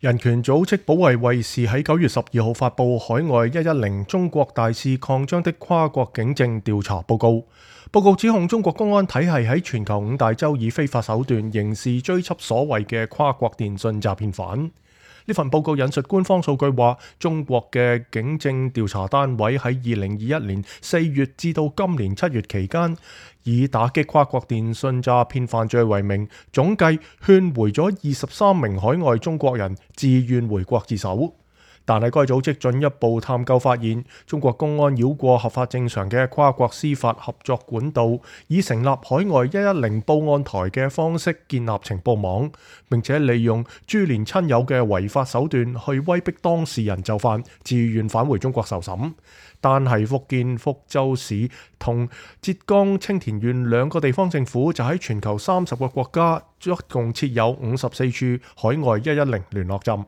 人權組織保衛衛士喺9月12號發布海外110中國大肆擴張的跨國警政調查報告。報告指控中國公安體系喺全球5大洲以非法手段刑事追緝所謂嘅跨國電信詐騙犯。呢份報告引述官方數據話，中國嘅警政調查單位喺2021年4月至到今年7月期間，以打擊跨國電信詐騙犯罪為名，總計勸回咗23名海外中國人自願回國自首。但係該組織進一步探究發現，中國公安繞過合法正常嘅跨國司法合作管道，以成立海外110報案台嘅方式建立情報網，並且利用株連親友嘅違法手段去威逼當事人就範，自願返回中國受審。但係福建福州市同浙江青田縣2個地方政府就喺全球30個國家，一共設有54處海外110聯絡站。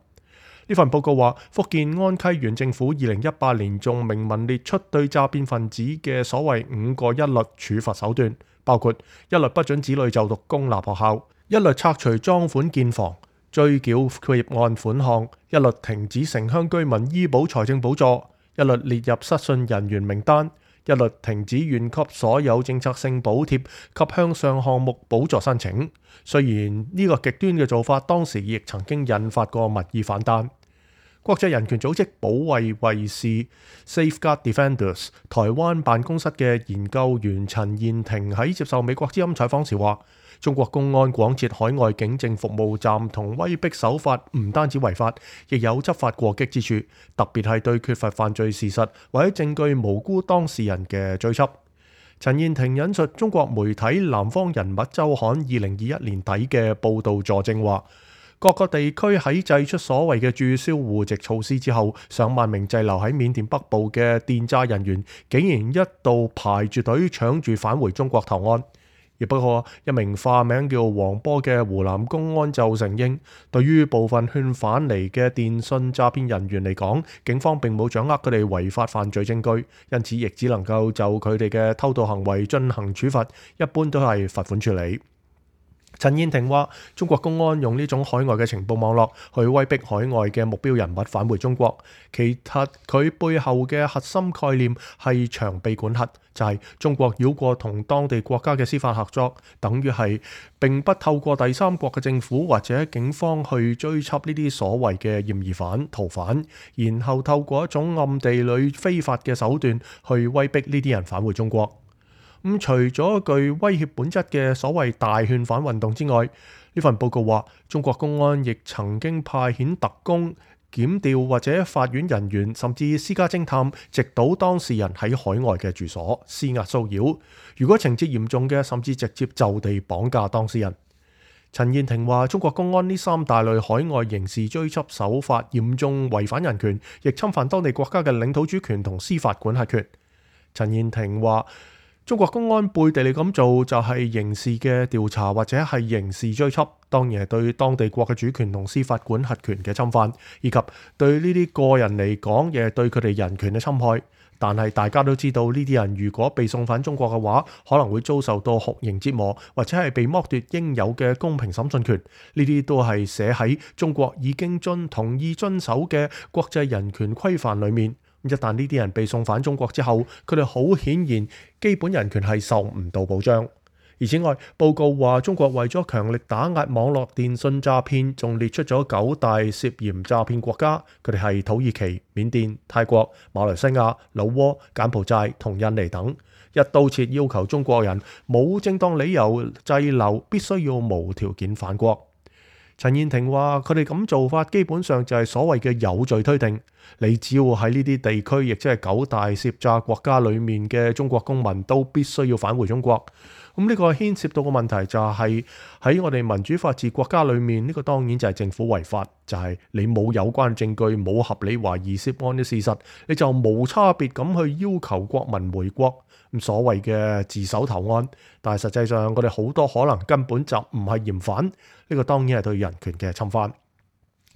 呢份報告話，福建安溪縣政府2018年仲明文列出對詐騙分子嘅所謂5個一律處罰手段，包括一律不准子女就讀公立學校，一律拆除贓款建房，追繳結案款項，一律停止城鄉居民醫保財政補助，一律列入失信人員名單，一律停止縣級所有政策性補貼及向上項目補助申請。雖然呢個極端嘅做法當時亦曾經引發過民意反彈。國際人權組織保衛衛士 Safeguard Defenders 台灣辦公室嘅研究員陳彥廷喺接受美國之音採訪時話，中國公安廣設海外警政服務站同威逼手法唔單止違法，亦有執法過激之處，特別係對缺乏犯罪事實或者證據無辜當事人嘅追緝。陳彥廷引述中國媒體南方人物週刊2021年底嘅報導佐證話，各個地區喺祭出所謂嘅註銷戶籍措施之後，上萬名滯留喺緬甸北部嘅電詐人員竟然一度排住隊搶住返回中國投案。亦不過一名化名叫黃波嘅湖南公安就承認，對於部分勸返嚟嘅電信詐騙人員嚟講，警方並冇掌握佢哋違法犯罪證據，因此亦只能夠就佢哋嘅偷渡行為進行處罰，一般都係罰款處理。陳彥廷話，中國公安用呢種海外嘅情報網絡去威逼海外嘅目標人物返回中國，其實佢背後嘅核心概念係長臂管轄，就係中國繞過同當地國家嘅司法合作，等於係並不透過第三國嘅政府或者警方去追緝呢啲所謂嘅嫌疑犯、逃犯，然後透過一種暗地裏非法嘅手段去威逼呢啲人返回中國。除咗具威脅本質嘅所謂大勸返運動之外，呢份報告話，中國公安亦曾經派遣特工、檢調或者法院人員，甚至私家偵探，直搗當事人喺海外嘅住所，施壓騷擾。如果情節嚴重嘅，甚至直接就地綁架當事人。陳彥廷話，中國公安呢3大類海外刑事追緝手法嚴重違反人權，亦侵犯當地國家嘅領土主權同司法管轄權。陳彥廷話，中國公安背地裏咁做就係刑事嘅調查或者係刑事追緝，當然係對當地國嘅主權同司法管轄權嘅侵犯，以及對呢啲個人嚟講，亦係對佢哋人權嘅侵害。但係大家都知道，呢啲人如果被送返中國嘅話，可能會遭受到酷刑折磨，或者係被剝奪應有嘅公平審訊權。呢啲都係寫喺中國已經同意遵守嘅國際人權規範裏面。一旦呢啲人被送返中國之後，佢哋好顯然基本人權係受唔到保障。而此外，報告話中國為咗強力打壓網絡電信詐騙，仲列出咗9大涉嫌詐騙國家，佢哋係土耳其、緬甸、泰國、馬來西亞、老撾、柬埔寨同印尼等，一刀切要求中國人冇正當理由滯留，必須要無條件返國。陳彥廷話：佢哋咁做法基本上就係所謂嘅有罪推定，你只要喺呢啲地區，亦即係9大涉詐國家裡面嘅中國公民都必須要返回中國。咁呢個牽涉到個問題就係喺我哋民主法治國家裏面，呢個當然就係政府違法，就係你冇有關證據、冇合理懷疑涉案嘅事實，你就無差別咁去要求國民回國，咁所謂嘅自首投案。但係實際上，我哋好多可能根本就唔係嫌犯，呢個當然係對人權嘅侵犯。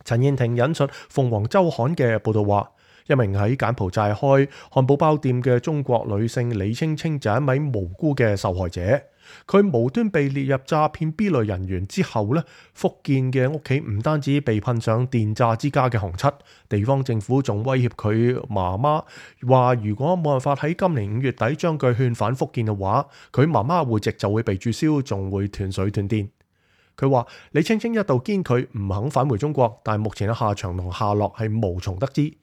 陳彥廷引述鳳凰週刊嘅報導話，一名喺柬埔寨開漢堡包店嘅中國女性李青青就係一位無辜嘅受害者。佢無端被列入詐騙 B 類人員之後呢，福建嘅屋企唔單止被噴上電詐之家嘅紅漆，地方政府仲威脅佢媽媽，話如果冇辦法喺今年5月底將佢勸返福建嘅話，佢媽媽戶籍就會被註銷，仲會斷水斷電。佢話李青青一度堅拒唔肯返回中國，但目前嘅下場同下落係無從得知。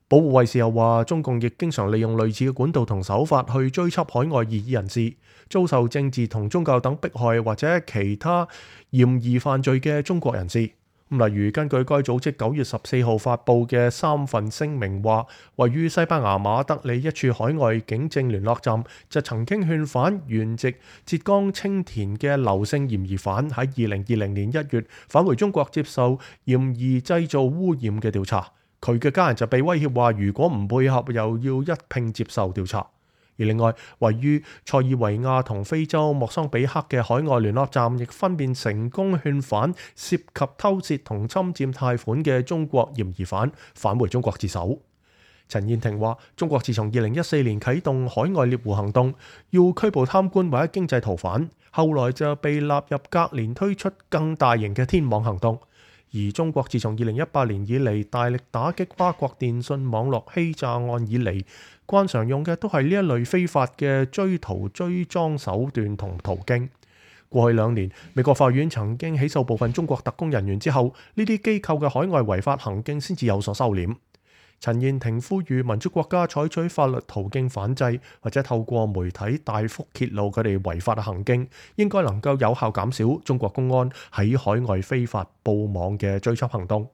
保護衛士又話，中共亦經常利用類似嘅管道同手法去追緝海外異議人士，遭受政治同宗教等迫害或者其他嫌疑犯罪嘅中國人士。例如根據該組織9月14號發布嘅3份聲明話，位於西班牙馬德里一處海外警政聯絡站就曾經勸返原籍浙江青田嘅劉姓嫌疑犯喺2020年1月返回中國接受嫌疑製造污染嘅調查。佢嘅家人就被威脅話，如果唔配合，又要一併接受調查。而另外，位於塞爾維亞同非洲莫桑比克嘅海外聯絡站，亦分別成功勸返涉及偷竊同侵佔貸款嘅中國嫌疑犯返回中國自首。陳燕婷話：中國自從2014年啟動海外獵狐行動，要拘捕貪官或者經濟逃犯，後來就被納入隔年推出更大型嘅天網行動。而中國自從2018年以嚟大力打擊跨國電信網絡欺詐案以嚟，慣常用嘅都係呢一類非法嘅追逃追贓手段同途徑。過去2年，美國法院曾經起訴部分中國特工人員之後，呢啲機構嘅海外違法行徑先至有所收斂。陳燕婷呼籲民主國家採取法律途徑反制，或者透過媒體大幅揭露佢哋違法嘅行徑，應該能夠有效減少中國公安喺海外非法布網嘅追緝行動。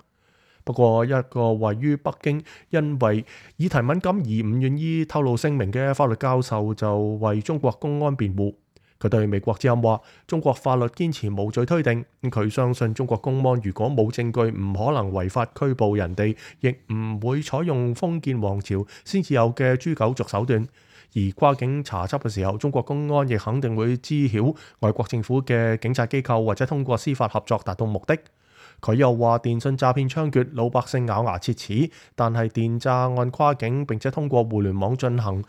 不過，一個位於北京因為議題敏感而唔願意透露姓名嘅法律教授就為中國公安辯護。佢對美國之音話：中國法律堅持無罪推定，佢相信中國公安如果冇證據，唔可能違法拘捕人哋，亦唔會採用封建王朝先至有嘅誅九族手段。而跨境查緝嘅時候，中國公安亦肯定會知曉外國政府嘅警察機構，或者通過司法合作達到目的。佢又話：電信詐騙猖獗，老百姓咬牙切齒，但係電詐案跨境並且通過互聯網進行，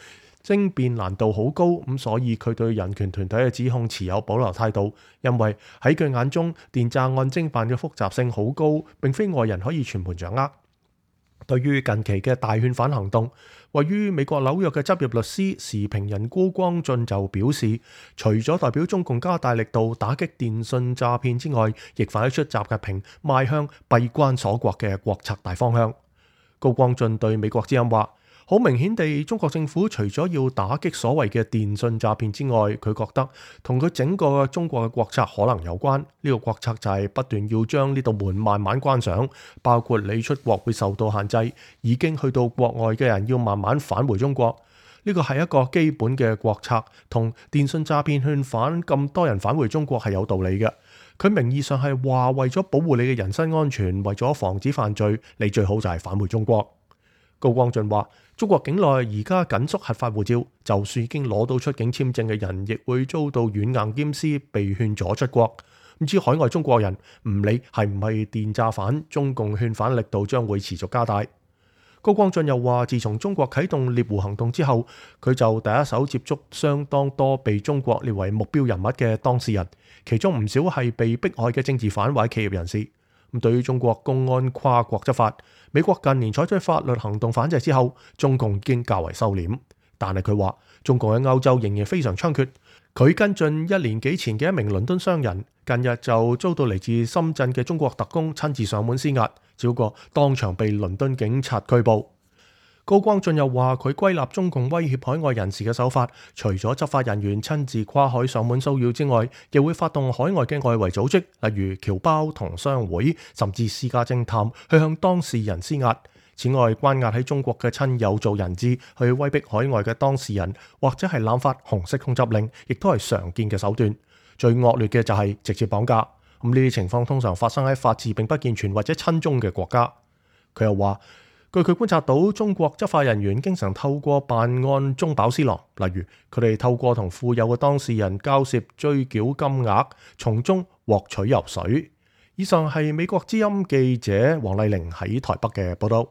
偵辯難度好高，咁所以佢對人權團體嘅指控持有保留態度，因為喺佢眼中，電詐案偵辦嘅複雜性好高，並非外人可以全盤掌握。對於近期嘅大勸返行動，位於美國紐約嘅執業律師時評人高光進就表示，除咗代表中共加大力度打擊電信詐騙之外，亦反映出習近平邁向閉關鎖國嘅國策大方向。高光進對美國之音話：好明顯地，中國政府除咗要打擊所謂嘅電信詐騙之外，佢覺得同佢整個中國嘅國策可能有關。呢個國策就係不斷要將呢道門慢慢關上，包括你出國會受到限制，已經去到國外嘅人要慢慢返回中國。呢個係一個基本嘅國策，同電信詐騙勸返咁多人返回中國係有道理嘅。佢名義上係話為咗保護你嘅人身安全，為咗防止犯罪，你最好就係返回中國。高光進話：中國境內而家緊縮核發護照，就算已經攞到出境簽證嘅人，亦會遭到軟硬兼施，被勸阻出國。唔知海外中國人唔理係唔係電詐犯，中共勸返力度將會持續加大。高光進又話：自從中國啟動獵狐行動之後，佢就第一手接觸相當多被中國列為目標人物嘅當事人，其中唔少係被迫害嘅政治犯或者企業人士。對於中國公安跨國執法，美國近年採取法律行動反制之後，中共已經較為收斂。但係佢話，中共喺歐洲仍然非常猖獗。佢跟進1年幾前嘅一名倫敦商人，近日就遭到嚟自深圳嘅中國特工親自上門施壓，只不過當場被倫敦警察拘捕。高光進又話，佢歸納中共威脅海外人士嘅手法，除咗執法人員親自跨海上門騷擾之外，亦會發動海外嘅外圍組織，例如僑胞同商會，甚至私家偵探去向當事人施壓。此外，關押喺中國嘅親友做人質，去威逼海外嘅當事人，或者係濫發紅色通緝令，亦都係常見嘅手段。最惡劣嘅就係直接綁架。呢啲情況通常發生喺法治並不健全或者親中嘅國家。佢又話，據佢觀察到，中國執法人員經常透過辦案中飽私囊，例如佢哋透過同富有嘅當事人交涉追繳金額，從中獲取油水。以上係美國之音記者黃麗玲喺台北嘅報道。